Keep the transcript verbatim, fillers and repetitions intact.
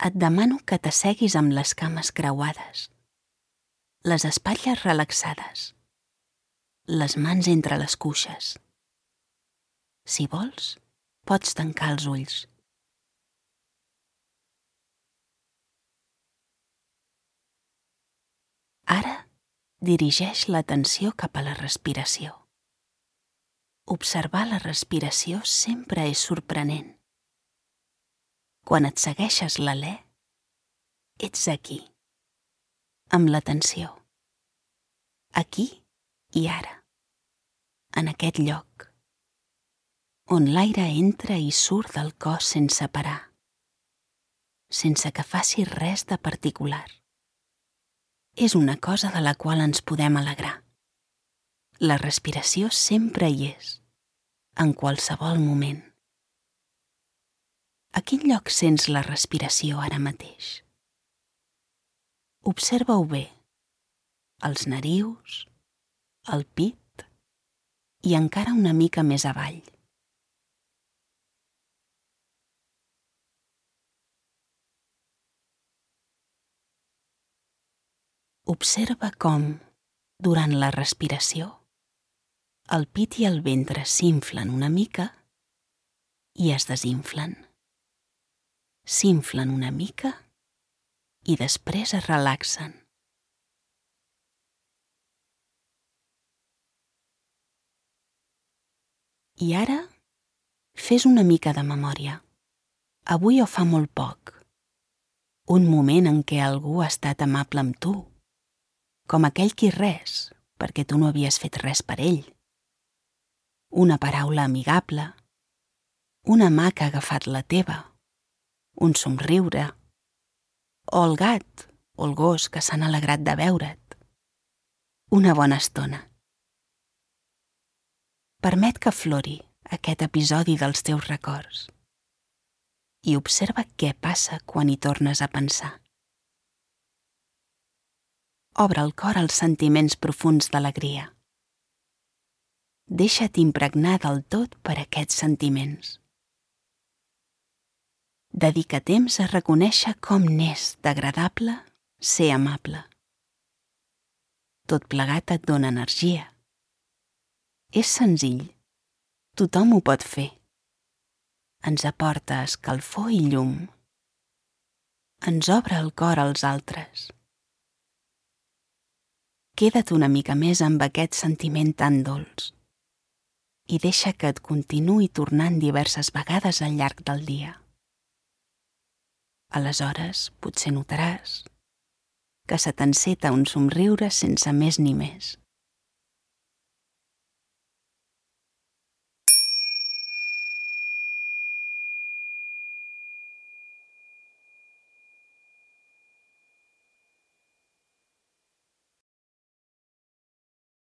et demano que t'asseguis amb les cames creuades, les espatlles relaxades, les mans entre les cuixes. Si vols, pots tancar els ulls. Ara dirigeix l'atenció cap a la respiració. Observar la respiració sempre és sorprenent. Quan et segueixes l'alè, ets aquí, amb l'atenció. Aquí i ara, en aquest lloc, on l'aire entra i surt del cos sense parar, sense que faci res de particular. És una cosa de la qual ens podem alegrar. La respiració sempre hi és, en qualsevol moment. A quin lloc sents la respiració ara mateix? Observa-ho bé, els narius, el pit i encara una mica més avall. Observa com, durant la respiració, el pit i el ventre s'inflen una mica i es desinflen. S'inflen una mica i després es relaxen. I ara, fes una mica de memòria. Avui o fa molt poc. Un moment en què algú ha estat amable amb tu, com aquell qui res, perquè tu no havies fet res per ell. Una paraula amigable, una mà que ha agafat la teva, un somriure, o el gat o el gos que s'han alegrat de veure't. Una bona estona. Permet que aflori aquest episodi dels teus records i observa què passa quan hi tornes a pensar. Obre el cor als sentiments profuns d'alegria. Deixa't impregnar del tot per aquests sentiments. Dedica temps a reconèixer com n'és d'agradable ser amable. Tot plegat et dona energia. És senzill. Tothom ho pot fer. Ens aporta escalfor i llum. Ens obre el cor als altres. Queda't una mica més amb aquest sentiment tan dolç i deixa que et continuï tornant diverses vegades al llarg del dia. Aleshores, potser notaràs que se t'enceta un somriure sense més ni més.